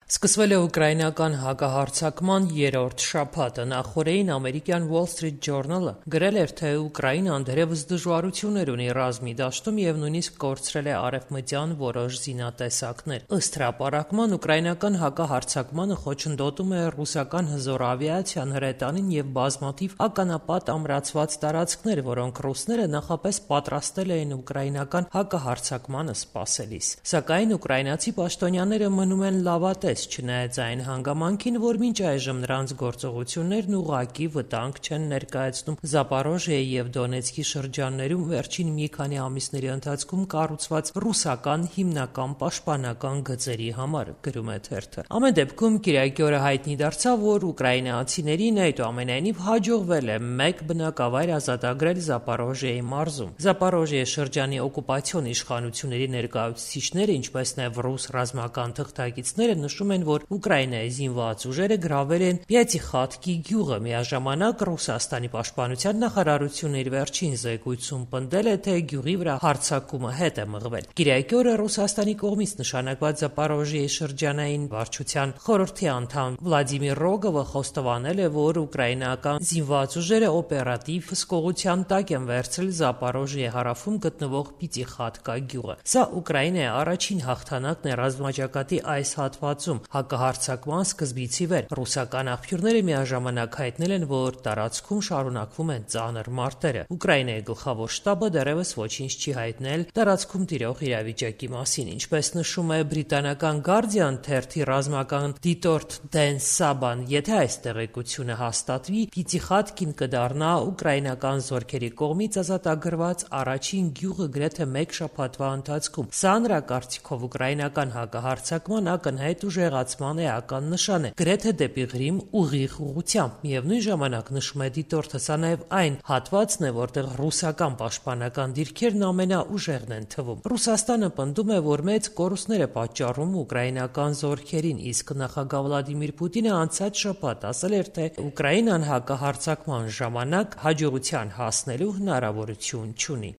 Սկսվել է ուկրաինական հակահարձակման երրորդ շաբաթը։ Նախօրեին ամերիկյան Wall Street Journal-ը գրել էր, թե Ուկրաինան դեռևս դժվարություններ ունի ռազմի դաշտում եւ նույնիսկ կորցրել է արևմտյան որոշ զինատեսակներ։ Ըստ հրապարակման, ուկրաինական հակահարձակմանը խոչընդոտում է ռուսական հզոր ավիացիան, հրետանին եւ բազմաթիվ ականապատ ամրացված տարածքներ, որոնք ռուսները նախապես պատրաստել էին ուկրաինական հակահարձակմանը սպասելիս։ Սակայն ուկրաինացի պաշտոնյաները մնում են լավատես, չնայած այն հանգամանքին, որ մինչ այժմ նրանց գործողություններն ուղղակի վտանգ չեն ներկայացնում Զապորոժիեի եւ Դոնեցկի շրջաններում վերջին մի քանի ամիսների ընթացքում կառուցված ռուսական հիմնական պաշտպանական գծերի համար, գրում է թերթը։ Ամեն դեպքում Կիրակի օրը հայտնի դարձավ, որ ուկրաինացիներին այդուամենայնիվ հաջողվել է մեկ բնակավայր ազատագրել Զապորոժիեի մարզում։ Զապորոժիեի շրջանի օկուպացիոն իշխանությունների ներկայացուցիչները, ինչպես նաեւ ռուս ռազմական թղթակիցները նշում են, որ Ուկրաինայի զինված ուժերը գրավել են Պյատիխատկի գյուղը։ Միաժամանակ Ռուսաստանի պաշտպանության նախարարությունը իր վերջին զեկույցում պնդել է, թե գյուղի վրա հարձակումը հետ է մղվել։ Կիրակի օրը Ռուսաստանի կողմից նշանակված Զապորոժիեի շրջանային վարչության խորհրդի անդամ Վլադիմիր Ռոգովը խոստովանել է, որ ուկրաինական զինված ուժերը օպերատիվ հսկողության տակ են վերցրել Զապորոժիեի հարավում գտնվող Պյատիխատկա գյուղը։ Սա Ուկրաինայի առաջին հաղթանակն է ռազմաճակատի այս հատվածում հակահարձակման սկզբից ի վեր։ Ռուսական աղբյուրները միաժամանակ հայտնել են, որ տարածքում շարունակվում են ծանր մարտերը։ Ուկրաինայի գլխավոր շտաբը դեռևս ոչինչ չի հայտնել տարածքում տիրող իրավիճակի մասին։ Ինչպես նշում է բրիտանական Guardian թերթի ռազմական դիտորդ Դեն Սաբան, եթե այս տեղեկությունը հաստատվի, Պյատիխատկին կդառնա ուկրաինական զորքերի կողմից ազատագրված առաջին գյուղը գրեթե մեկ շաբաթվա ընթացքում։ Սա նրա կարծիքով ուկրաինական հակահարձակման ակնհայտ ուժեղացման էական նշան է, գրեթե դեպի Ղրիմ ուղիղ ուղղությամբ։ Միևնույն ժամանակ, նշում է դիտորդը, սա նաև այն հատվածն է, որտեղ ռուսական պաշտպանական դիրքերն ամենաուժեղն են թվում։ Ռուսաստանը պնդում է, որ մեծ կորուստներ է պատճառում ուկրաինական զորքերին, իսկ նախագահ Վլադիմիր Պուտինը անցած շաբաթ ասել էր, թե Ուկրաինան հակահարձակման ժամանակ հաջողության հասնելու հնարավորություն չունի։